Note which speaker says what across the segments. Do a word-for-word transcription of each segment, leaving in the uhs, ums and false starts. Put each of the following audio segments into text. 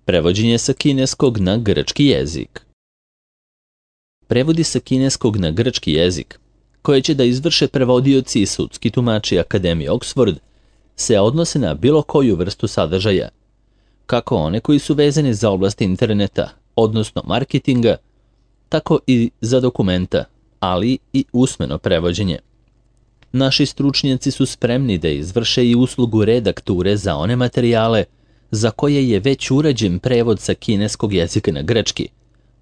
Speaker 1: Prevođenje sa kineskog na grčki jezik. Prevodi sa kineskog na grčki jezik, koje će da izvrše prevodioci i sudski tumači Akademije Oxford, se odnose na bilo koju vrstu sadržaja, kako one koji su vezani za oblast interneta, odnosno marketinga, tako i za dokumenta, ali i usmeno prevođenje. Naši stručnjaci su spremni da izvrše i uslugu redakture za one materijale za koje je već urađen prevod sa kineskog jezika na grčki,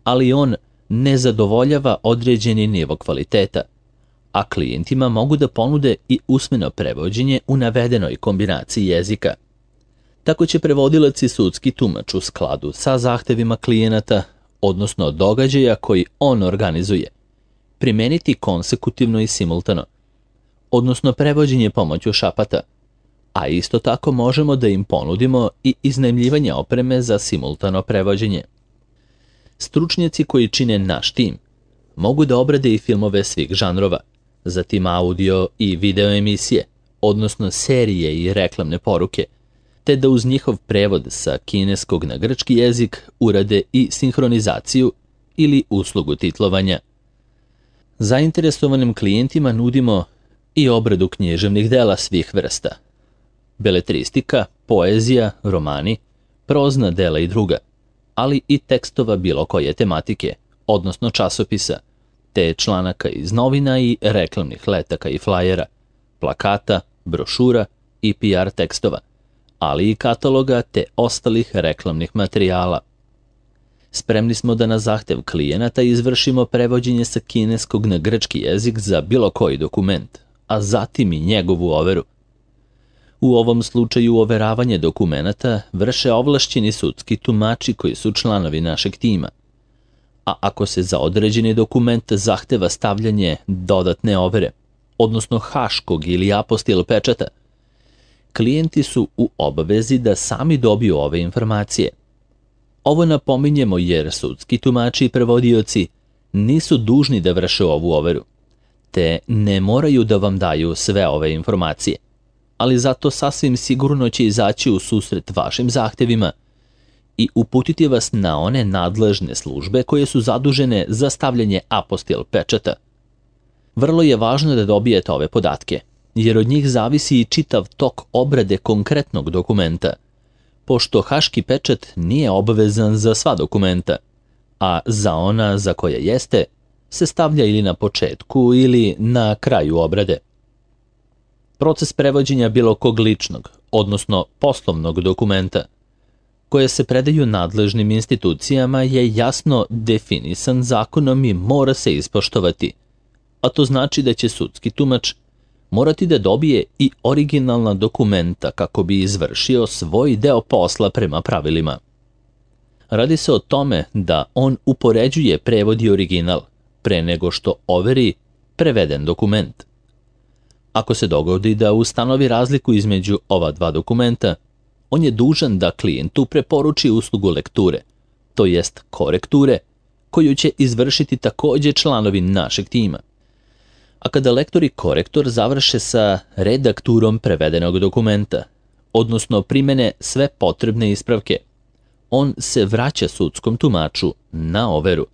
Speaker 1: ali on ne zadovoljava određeni nivo kvaliteta, a klijentima mogu da ponude i usmeno prevođenje u navedenoj kombinaciji jezika. Tako će prevodilac i sudski tumač u skladu sa zahtevima klijenata, odnosno događaja koji on organizuje, primeniti konsekutivno i simultano, odnosno prevođenje pomoću šapata, a isto tako možemo da im ponudimo i iznajmljivanje opreme za simultano prevođenje. Stručnjaci koji čine naš tim mogu da obrade i filmove svih žanrova, zatim audio i video emisije, odnosno serije i reklamne poruke, te da uz njihov prevod sa kineskog na grčki jezik urade i sinhronizaciju ili uslugu titlovanja. Zainteresovanim klijentima nudimo i obradu književnih dela svih vrsta, beletristika, poezija, romani, prozna dela i druga, ali i tekstova bilo koje tematike, odnosno časopisa, te članaka iz novina i reklamnih letaka i flajera, plakata, brošura i P R tekstova, ali i kataloga te ostalih reklamnih materijala. Spremni smo da na zahtev klijenata izvršimo prevođenje sa kineskog na grčki jezik za bilo koji dokument, a zatim i njegovu overu. U ovom slučaju overavanje dokumenata vrše ovlašćeni sudski tumači koji su članovi našeg tima. A ako se za određeni dokument zahteva stavljanje dodatne overe, odnosno haškog ili apostil pečata, klijenti su u obavezi da sami dobiju ove informacije. Ovo napominjemo jer sudski tumači i prevodioci nisu dužni da vrše ovu overu, te ne moraju da vam daju sve ove informacije, ali zato sasvim sigurno će izaći u susret vašim zahtevima i uputiti vas na one nadležne službe koje su zadužene za stavljanje apostil pečata. Vrlo je važno da dobijete ove podatke, jer od njih zavisi i čitav tok obrade konkretnog dokumenta, pošto haški pečat nije obavezan za sva dokumenta, a za ona za koja jeste se stavlja ili na početku ili na kraju obrade. Proces prevođenja bilo kog ličnog, odnosno poslovnog dokumenta, koje se predaju nadležnim institucijama je jasno definisan zakonom i mora se ispoštovati, a to znači da će sudski tumač morati da dobije i originalna dokumenta kako bi izvršio svoj deo posla prema pravilima. Radi se o tome da on upoređuje prevod i original pre nego što overi preveden dokument. Ako se dogodi da ustanovi razliku između ova dva dokumenta, on je dužan da klijentu preporuči uslugu lekture, to jest korekture, koju će izvršiti takođe članovi našeg tima. A kada lektor i korektor završe sa redakturom prevedenog dokumenta, odnosno primene sve potrebne ispravke, on se vraća sudskom tumaču na overu.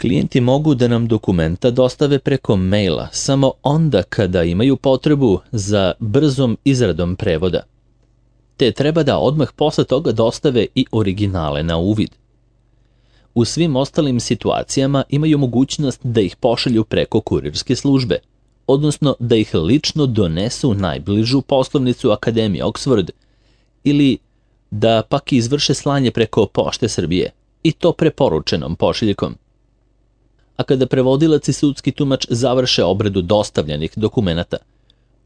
Speaker 1: Klijenti mogu da nam dokumenta dostave preko maila samo onda kada imaju potrebu za brzom izradom prevoda, te treba da odmah posle toga dostave i originale na uvid. U svim ostalim situacijama imaju mogućnost da ih pošalju preko kurirske službe, odnosno da ih lično donesu u najbližu poslovnicu Akademije Oxford ili da pak izvrše slanje preko Pošte Srbije i to preporučenom pošiljkom. A kada prevodilac i sudski tumač završe obradu dostavljenih dokumenata,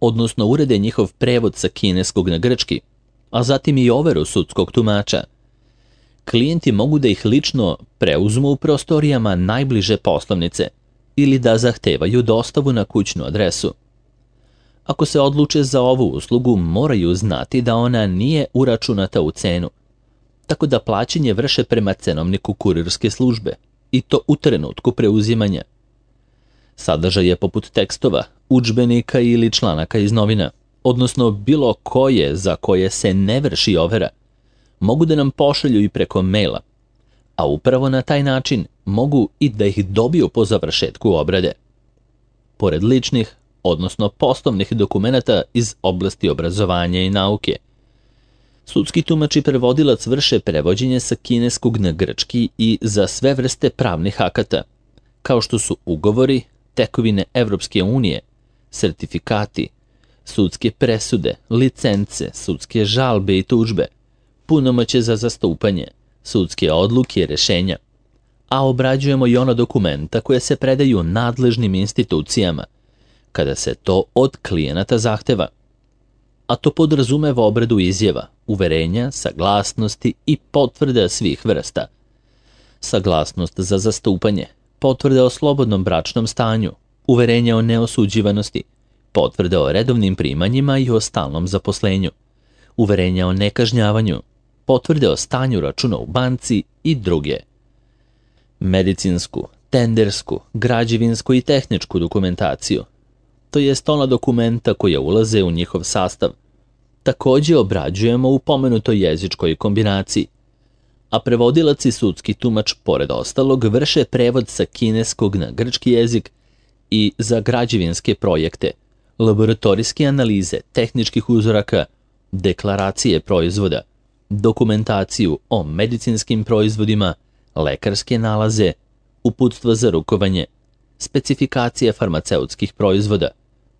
Speaker 1: odnosno urede njihov prevod sa kineskog na grčki, a zatim i overu sudskog tumača, klijenti mogu da ih lično preuzmu u prostorijama najbliže poslovnice ili da zahtevaju dostavu na kućnu adresu. Ako se odluče za ovu uslugu, moraju znati da ona nije uračunata u cenu, tako da plaćanje vrše prema cenovniku kurirske službe, i to u trenutku preuzimanja. Sadržaj je poput tekstova, udžbenika ili članaka iz novina, odnosno bilo koje za koje se ne vrši overa, mogu da nam pošalju i preko maila, a upravo na taj način mogu i da ih dobiju po završetku obrade. Pored ličnih, odnosno poslovnih dokumenata iz oblasti obrazovanja i nauke, sudski tumač i prevodilac vrše prevođenje sa kineskog na grčki i za sve vrste pravnih akata, kao što su ugovori, tekovine Evropske unije, sertifikati, sudske presude, licence, sudske žalbe i tužbe, punomoćje za zastupanje, sudske odluke i rešenja, a obrađujemo i ona dokumenta koje se predaju nadležnim institucijama, kada se to od klijenata zahteva. A to podrazumeva obradu izjava, uverenja, saglasnosti i potvrda svih vrsta. Saglasnost za zastupanje, potvrda o slobodnom bračnom stanju, uverenja o neosuđivanosti, potvrda o redovnim primanjima i o stalnom zaposlenju, uverenja o nekažnjavanju, potvrde o stanju računa u banci i druge. Medicinsku, tendersku, građevinsku i tehničku dokumentaciju, to jest ona dokumenta koja ulaze u njihov sastav, takođe obrađujemo u pomenutoj jezičkoj kombinaciji, a prevodilac i sudski tumač, pored ostalog, vrše prevod sa kineskog na grčki jezik i za građevinske projekte, laboratorijske analize, tehničkih uzoraka, deklaracije proizvoda, dokumentaciju o medicinskim proizvodima, lekarske nalaze, uputstva za rukovanje, specifikacije farmaceutskih proizvoda,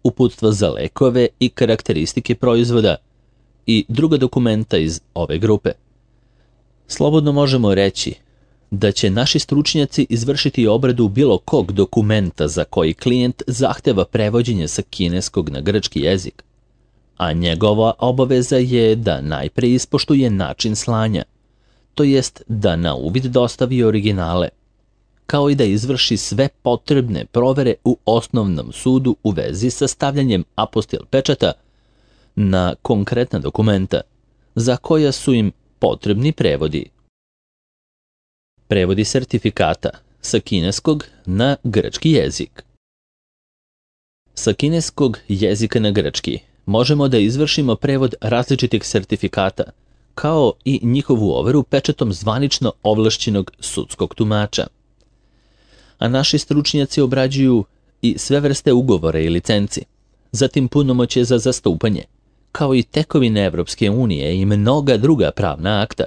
Speaker 1: uputstva za lekove i karakteristike proizvoda i druga dokumenta iz ove grupe. Slobodno možemo reći da će naši stručnjaci izvršiti obradu bilo kog dokumenta za koji klijent zahteva prevođenje sa kineskog na grčki jezik, a njegova obaveza je da najpre ispoštuje način slanja, to jest da na uvid dostavi originale, kao i da izvrši sve potrebne provere u osnovnom sudu u vezi sa stavljanjem apostil pečata na konkretna dokumenta, za koja su im potrebni prevodi. Prevodi sertifikata sa kineskog na grčki jezik. Sa kineskog jezika na grčki možemo da izvršimo prevod različitih sertifikata, kao i njihovu overu pečatom zvanično ovlašćenog sudskog tumača. A naši stručnjaci obrađuju i sve vrste ugovora i licenci, zatim punomoćje za zastupanje, kao i tekovine Evropske unije i mnoga druga pravna akta.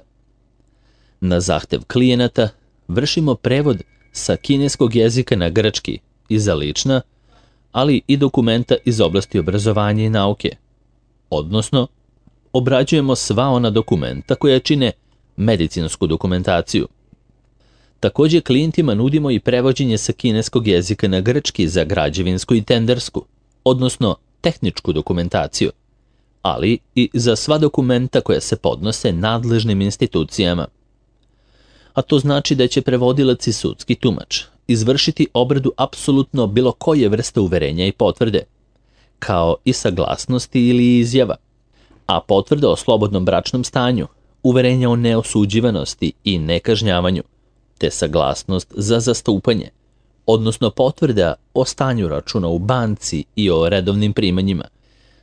Speaker 1: Na zahtev klijenata vršimo prevod sa kineskog jezika na grčki i za lična, ali i dokumenta iz oblasti obrazovanja i nauke, odnosno obrađujemo sva ona dokumenta koja čine medicinsku dokumentaciju. Takođe klijentima nudimo i prevođenje sa kineskog jezika na grčki za građevinsku i tendersku, odnosno tehničku dokumentaciju, ali i za sva dokumenta koja se podnose nadležnim institucijama. A to znači da će prevodilac i sudski tumač izvršiti obradu apsolutno bilo koje vrste uverenja i potvrde, kao i saglasnosti ili izjava, a potvrda o slobodnom bračnom stanju, uverenja o neosuđivanosti i nekažnjavanju, te saglasnost za zastupanje, odnosno potvrda o stanju računa u banci i o redovnim primanjima,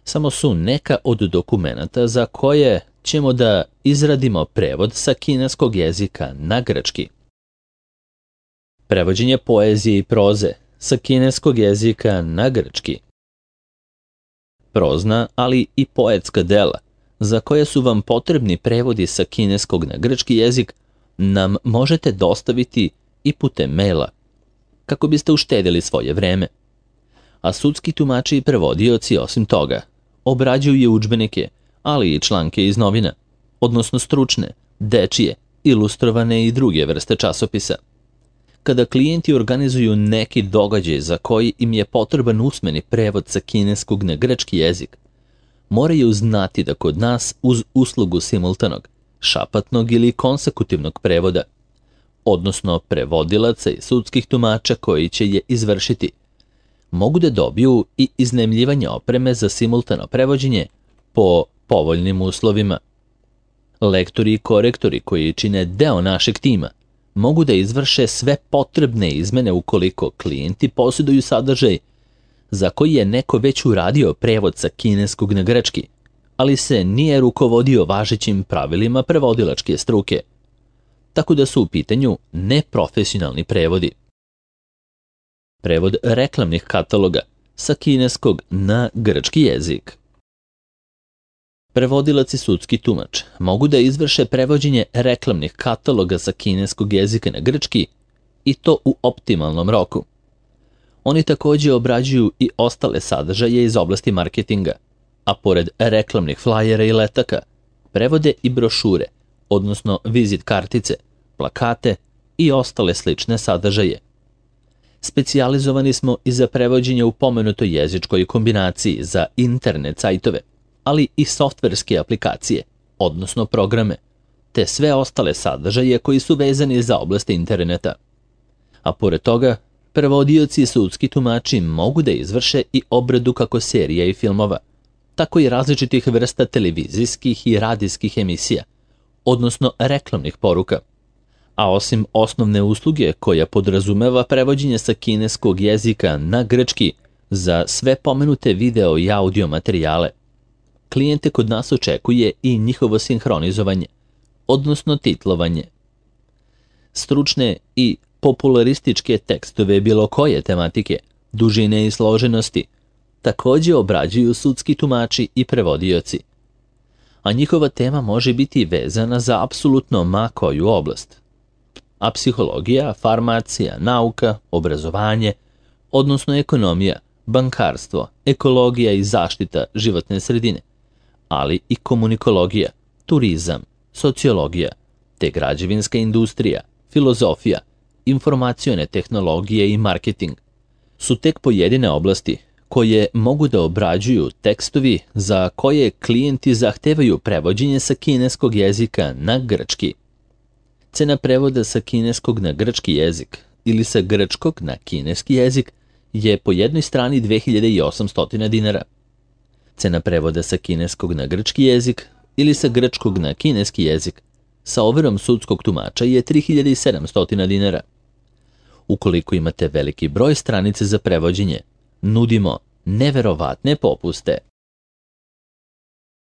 Speaker 1: samo su neka od dokumenata za koje ćemo da izradimo prevod sa kineskog jezika na grčki. Prevođenje poezije i proze sa kineskog jezika na grčki. Prozna, ali i poetska dela, za koje su vam potrebni prevodi sa kineskog na grčki jezik, nam možete dostaviti i putem maila, kako biste uštedili svoje vreme. A sudski tumači i prevodioci, osim toga, obrađuju i udžbenike, ali i članke iz novina, odnosno stručne, dečije, ilustrovane i druge vrste časopisa. Kada klijenti organizuju neki događaj za koji im je potreban usmeni prevod sa kineskog na grčki jezik, moraju znati da kod nas uz uslugu simultanog, šapatnog ili konsekutivnog prevoda, odnosno prevodilaca i sudskih tumača koji će je izvršiti, mogu da dobiju i iznajmljivanje opreme za simultano prevođenje po povoljnim uslovima. Lektori i korektori koji čine deo našeg tima mogu da izvrše sve potrebne izmene ukoliko klijenti posjeduju sadržaj za koji je neko već uradio prevod sa kineskog na grčki, ali se nije rukovodio važećim pravilima prevodilačke struke, tako da su u pitanju neprofesionalni prevodi. Prevod reklamnih kataloga sa kineskog na grčki jezik. Prevodilac i sudski tumač mogu da izvrše prevođenje reklamnih kataloga sa kineskog jezika na grčki i to u optimalnom roku. Oni također obrađuju i ostale sadržaje iz oblasti marketinga, a pored reklamnih flajera i letaka, prevode i brošure, odnosno vizit kartice, plakate i ostale slične sadržaje. Specijalizovani smo i za prevođenje u pomenutoj jezičkoj kombinaciji za internet sajtove, ali i softverske aplikacije, odnosno programe, te sve ostale sadržaje koji su vezani za oblast interneta. A pored toga, prevodioci i sudski tumači mogu da izvrše i obradu kako serija i filmova, tako i različitih vrsta televizijskih i radijskih emisija, odnosno reklamnih poruka. A osim osnovne usluge koja podrazumeva prevođenje sa kineskog jezika na grčki za sve pomenute video i audio materijale, klijente kod nas očekuje i njihovo sinhronizovanje, odnosno titlovanje. Stručne i popularističke tekstove bilo koje tematike, dužine i složenosti, također obrađuju sudski tumači i prevodioci. A njihova tema može biti vezana za apsolutno ma koju oblast. A psihologija, farmacija, nauka, obrazovanje, odnosno ekonomija, bankarstvo, ekologija i zaštita životne sredine, ali i komunikologija, turizam, sociologija, te građevinska industrija, filozofija, informacione tehnologije i marketing su tek pojedine oblasti koje mogu da obrađuju tekstovi za koje klijenti zahtevaju prevođenje sa kineskog jezika na grčki. Cena prevoda sa kineskog na grčki jezik ili sa grčkog na kineski jezik je po jednoj strani dve hiljade osamsto dinara. Cena prevoda sa kineskog na grčki jezik ili sa grčkog na kineski jezik sa overom sudskog tumača je tri hiljade sedamsto dinara. Ukoliko imate veliki broj stranice za prevođenje, nudimo neverovatne popuste.